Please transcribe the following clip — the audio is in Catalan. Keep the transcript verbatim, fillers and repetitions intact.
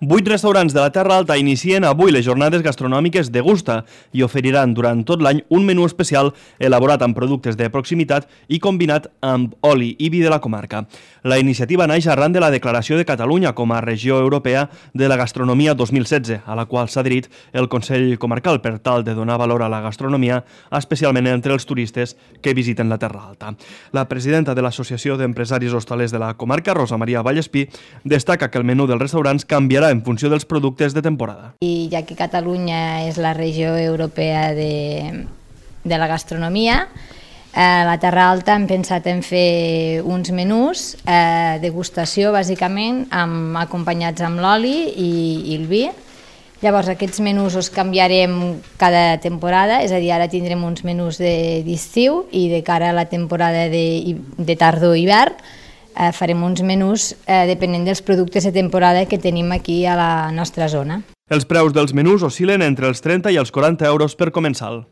Vuit restaurants de la Terra Alta inicien avui les jornades gastronòmiques Degusta i oferiran durant tot l'any un menú especial elaborat amb productes de proximitat i combinat amb oli i vi de la comarca. La iniciativa naix arran de la declaració de Catalunya com a regió europea de la gastronomia dos mil setze, a la qual s'ha adherit el Consell Comarcal per tal de donar valor a la gastronomia, especialment entre els turistes que visiten la Terra Alta. La presidenta de l'Associació d'Empresaris Hostalers de la comarca, Rosa Maria Vallespí, destaca que el menú dels restaurants canviarà en funció dels productes de temporada. I ja que Catalunya és la regió europea de, de la gastronomia, a la Terra Alta hem pensat en fer uns menús, eh, degustació bàsicament, amb, acompanyats amb l'oli i, i el vi. Llavors aquests menús els canviarem cada temporada, és a dir, ara tindrem uns menús d'estiu i de cara a la temporada de, de tardor-hivern eh, farem uns menús eh, depenent dels productes de temporada que tenim aquí a la nostra zona. Els preus dels menús oscil·len entre els trenta i els quaranta euros per comensal.